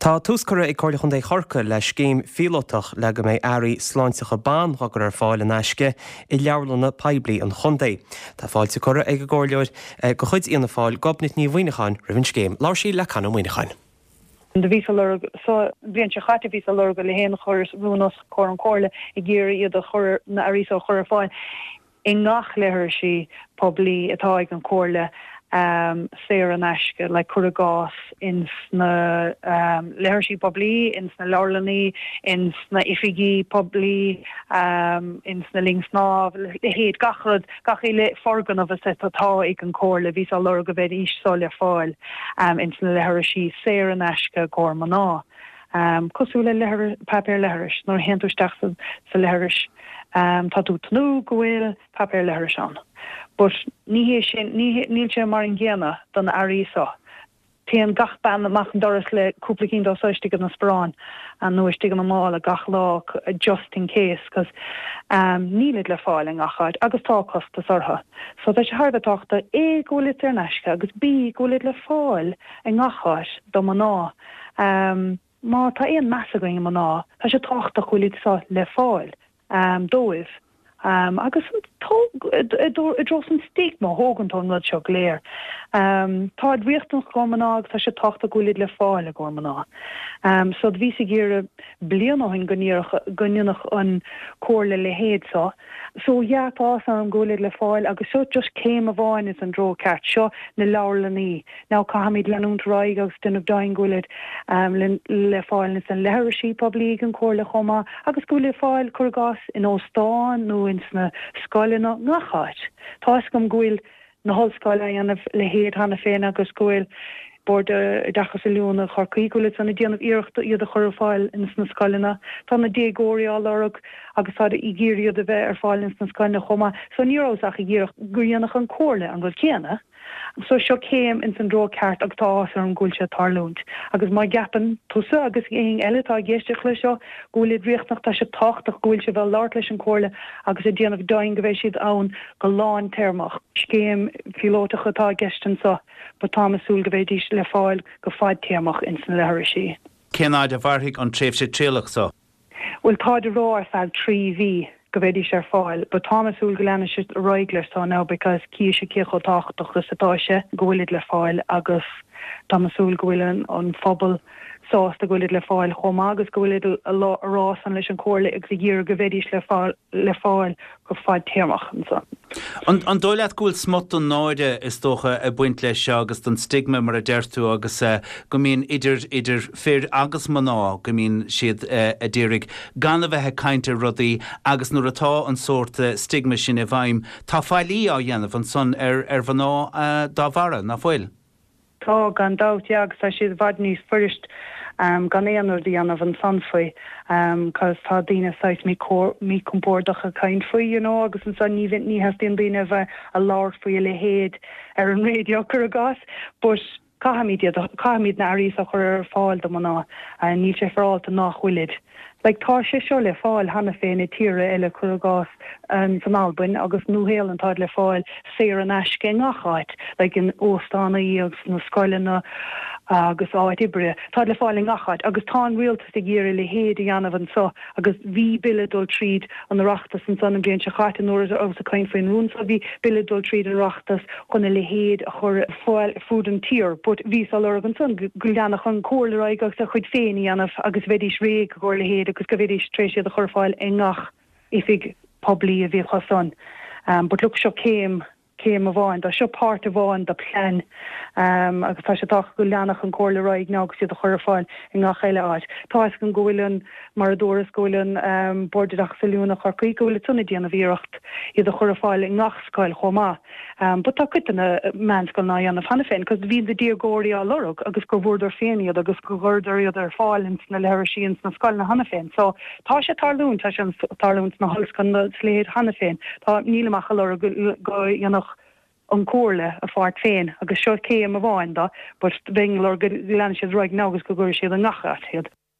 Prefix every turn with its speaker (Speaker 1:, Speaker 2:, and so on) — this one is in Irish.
Speaker 1: Tá tús curtha ag Comhairle Chontae Chorcaí le scéim phíolótach le go mbeidh earraí sláinteacha ban á gcur ar fáil in aisce i leabharlanna poiblí an chontae. Tá fáilte curtha ag an gcomhairleoir de chuid Fhianna Fáil, Gobnait Ní Mhuineacháin, roimh an scéim. Labhair sí le Conn Ó Muíneacháin.
Speaker 2: Do bhíos ag lorg, sa bhliain seo chaite bhíos ag lorg a leithéid chuireas rún os comhair an Chomhairle ag iarraidh iad a chur, na earraí so a chur ar fáil. i ngach leithrisí poiblí atá ag an Chomhairle saor in aisce, like cuir i gcás ins na leithrisí poiblí, ins na leabharlannaí, ins na oifigí poiblí, ins na linn snámh, leithéid, gach rud, gach uile foirgneamh is atá ag an Chomhairle, bhíos á lorg go mbeidís so le fáil ins na leithrisí saor in aisce i gcomhair mná. Cosúil le páipéar leithris, nuair a théann tú isteach sa leithris, tá tú ag tnúth go bhfuil páipéar leithris ann. But ní hé sin, níl sé mar an gcéanna do na earraí so. Téann gach bean amach an doras le cúpla cinn dó so istigh ina sparán nó istigh ina mála gach lá just in case 'cause nílid le fáil i ngach áit agus tá costas orthu. So tá sé thar a bheith tábhachtach A go bhfuilid saor in aisce agus B go bhfuilid le fáil i ngach áit do mná. Má tá aon meas againn ar mná, tá sé tábhachtach go bhfuil iad seo le fáil dóibh. Agus i dtreo an stigma a thógann tú an rud seo go léir. Táid riachtanach i gcomhair mná agus tá sé tábhachtach go bhfuil iad le fáil i gcomhair mná. So do bhíos ag iarraidh bliain ó shin go go ndéanfadh an Comhairle a leithéid seo. So yeah, tá áthas orm go bhfuil iad le fáil agus seo just céim amháin ins an dtreo ceart. Seo na leabharlannaí. Now caithfimid leanúint ar aghaidh agus déanamh deimhin go bhfuil iad le fáil ins na leithrisí poiblí ag an Chomhairle chomh maith agus go bhfuil le fáil, cuir i gcás, in óstáin nó ins na scoileanna, ngach áit. Tá fhios agam go bhfuil na hollscoile á dhéanamh a leithéid cheana féin agus go bhfuil Bord Oideachais Oiliúna Chorcaí, go bhfuil siad san ag déanamh iarracht iad a chur ar fáil ins na scoileanna. Tá na déagóirí á lorg agus táid ag iarraidh iad a bheith ar fáil ins na scoileanna chomh maith. So ní rabhas ach ag iarraidh go ndéanfadh an Comhairle an rud céanna. So seo céim ins an dtreo ceart agus tá áthas orm go bhfuil sé ag tarlúint. Agus má gceapann tusa agus éinne eile atá ag éisteacht leis seo go bhfuil iad riachtanach, tá sé tábhachtach go bhfuil sibh ag labhairt leis an Comhairle agus ag déanamh deimhin go mbeidh siad ann go lántéarmach. Scéim phíolótach atá i gceist anso but táim ag súil go mbeidís le fáil go fadtéarmach ins na leithrisí.
Speaker 3: Cén fhaid a mhairfidh an tréimhse trialach so?
Speaker 2: Bhuel táid ag rá ar feadh 3 mhí go mbeidís ar fáil but táim ag súil go leanfaidh siad ar aghaidh leis so now because chífidh siad cé chomh tábhachtach is atá sé go bhfuilid le fáil agus táim ag súil go bhfuil an phobal sásta go bhfuilid le fáil chomh maith agus go bhfuilid ag rá san leis an Chomhairle agus ag iarraidh go mbeidís le fáil go fadtéarmach ansan.
Speaker 3: An dóigh leat go bhfuil smut den náire, is dócha, ag baint leis seo agus den stigma, mar a deir tú, agus go mbíonn idir, idir fir agus mná, go mbíonn siad a d'iarraidh gan a bheith ag caint ar rudaí agus nuair atá an sórt stigma sin i bhfeidhm, tá faillí á dhéanamh ansan ar, ar mhná dá bharra, ná fuil?
Speaker 2: Tá, gan dabht, yeah, agus tá sé i bhfad níos fuirist gan aon rud a dhéanamh ansan faoi, cos tá daoine saghas míchompordach ag caint faoi, you know, agus ansan ní ní theastaíonn daoine a bheith a labhairt faoi a leithéid ar an raidió, cuir i gcás, but caithfimid iad, caithfimid na earraí so a chur ar fáil do mná, níl sé féaráilte nách bhfuilid. Like, tá sé seo le fáil cheana féin i tíortha eile, cuir i gcás, san Albain agus Nua-Shéalainn táid le fáil saor in aisce i ngach áit, like in óstánaí agus sna scoileanna agus áit oibre, táid le fáil i ngach áit agus tá an rialtas ag iarraidh a leithéid a dhéanamh anso agus bhí bille ag dul tríd an Oireachtas ansan an bhliain seo chaite nuair a rabhas ag caint faoin rún so bhí bille ag dul tríd an Oireachtas chun a leithéid a chur ar fáil fud an tír but bhíos á lorg ansan go leanfadh an Chomhairle ar aghaidh agus a chuid féin a dhéanamh agus bheidís réidh i gcomhair a leithéid agus go bheidís tar éis iad a chur ar fáil i ngach oifig poiblí a bhí acu san. But look seo céim, céim amháin de, seo páirt amháin de plean agus tá sé tábhachtach go leanfadh an Chomhairle ar aghaidh now agus iad a chur ar fáil i ngach eile áit. Tá fhios agam go bhfuil an, mar a dúras, go bhfuil an Bord Oideachais Oiliúna Chorcaí, go bhfuil siad san ag déanamh iarracht iad a chur ar fáil i ngach scoil chomh maith. But tá cuid de na meánscoileanna á dhéanamh cheana féin cos bhí na déagóirí á lorg agus gur bhfuaireadar féin iad agus go gcuireadar iad ar fáil ins na leithrisí ins na scoileanna cheana féin. So tá sé ag tarlúint, tá sé ag tarlúint sna hollscoileanna is a leithéid cheana féin. Tá, nílim ach ag lorg go dhéanfadh an Chomhairle a pháirt féin agus seo céim amháin de but bheinn ag lorg go leanfaidh siad ar aghaidh now agus go gcuirfidh siad i ngach áit iad.